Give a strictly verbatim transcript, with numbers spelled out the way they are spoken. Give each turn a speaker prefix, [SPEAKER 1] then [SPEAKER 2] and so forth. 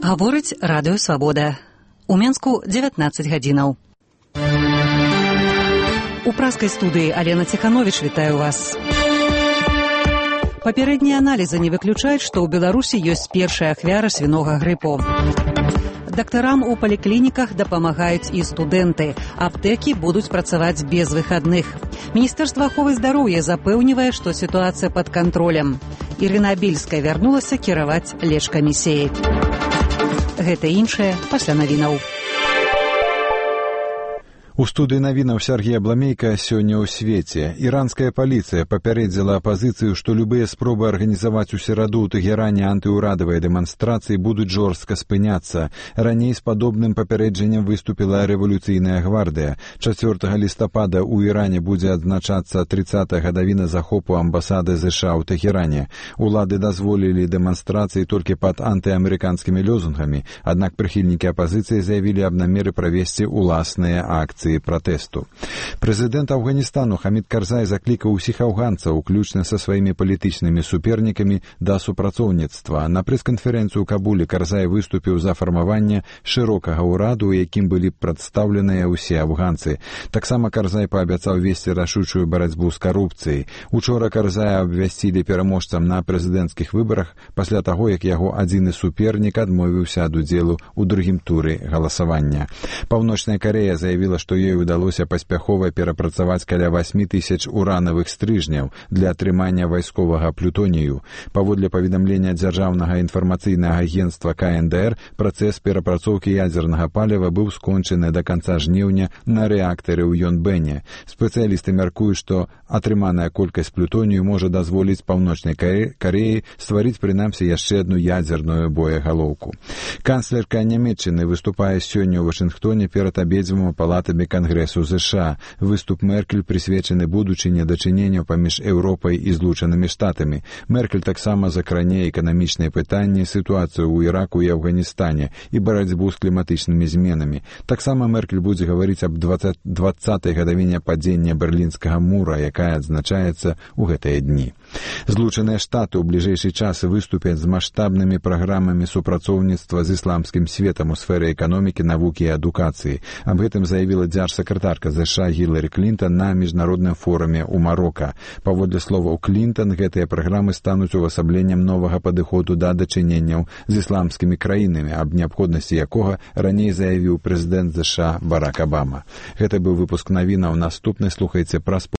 [SPEAKER 1] Гаворыць радыё «Свабода». У Менску дзевятнаццаць гадзінаў. У праскай студыі Алена Ціхановіч вітаю вас. Папярэднія аналізы не выключаюць, што ў Беларусі ёсць першая ахвяра свінога грыпу. Дактарам у паліклініках дапамагаюць і студэнты. Аптэкі будуць працаваць без выхадных. Міністэрства аховы здароўя запэўнівае, што сітуацыя пад кантролем. Ірына Бельская вярнулася кіраваць лечкамісіяй. Гэта іншае пасля навінаў.
[SPEAKER 2] У студыі навінаў Сергей Абламейка сёння ў свеце. Іранская паліцыя папярэдзіла апазіцыю, што любыя спробы арганізаваць у сераду ў Тэгеране антыўрадавыя дэманстрацыі будуць жорстка спыняцца. Раней з падобным папярэджаннем выступіла рэвалюцыйная гвардыя. чацвёртага лістапада ў Іране будзе адзначацца трыццатая гадавіна захопу амбасады ЗША ў Тэгеране. Улады дазволілі дэманстрацыі толькі пад антыамерыканскімі лозунгамі, аднак прыхільнікі апазіцыі заявілі аб намеры правесці уласныя акцыі пратэсту. Прэзідэнт Афганістану Хамід Карзай заклікаў усіх афганцаў, уключна са сваімі палітычнымі супернікамі, да супрацоўніцтва. На прэс-канферэнцыю ў Кабуле Карзай выступіў за фармаванне шырокага ўраду, у якім былі прадстаўленыя ўсе афганцы. Таксама Карзай паабяцаў весці рашучую барацьбу з карупцыяй. Учора Карзая абвясцілі пераможцам на прэзідэнцкіх выбарах пасля таго, як яго адзіны супернік адмовіўся ад удзелу ў другім туры галасавання. Паўночная Карэя заявіла, што ёй удалося паспяхова перапрацаваць каля васьмі тысяч уранавых стрыжняў для атрымання вайсковага плютонію. Паводле паведамлення дзяржаўнага інфармацыйнага агенцтва ка эн дэ эр, працэс перапрацоўкі ядзернага паліва быў скончаны да канца жніўня на рэактары ў Йонбэне. Спецыялісты мяркуюць, што атрыманая колькасць плютонію можа дазволіць Паўночнай Карэі стварыць прынамсі яшчэ адну ядзерную боегалоўку. Канцлерка Нямецчыны выступае сёння ў Вашынгтоне перад абедзвюма палатамі Кангрэсу ЗША. Выступ Меркель прысвечаны будучыне дачыненняў паміж Еўропай і Злучанымі Штатамі. Меркель таксама закране эканамічныя пытанні, сітуацыю ў Іраку і Афганістане і барацьбу з кліматычнымі зменамі. Таксама Меркель будзе гаварыць аб дваццатай гадавіне падзення Берлінскага мура, якая адзначаецца ў гэтыя дні. Злучаныя Штаты ў бліжэйшы час выступяць з маштабнымі праграмамі супрацоўніцтва з ісламскім светам у сферы эканомікі, навукі і адукацыі. Аб гэтым заявіла дзяржсакратарка ЗША Гіларі Клінтон на міжнародным форуме ў Марока. Паводле словаў Клінтон, гэтыя праграмы стануць увасабленнем новага падыходу да дачыненняў з ісламскімі краінамі, аб неабходнасці якога раней заявіў прэзідэнт ЗША Барак Абама. Гэта быў выпуск навінаў. Наступны слухайце пра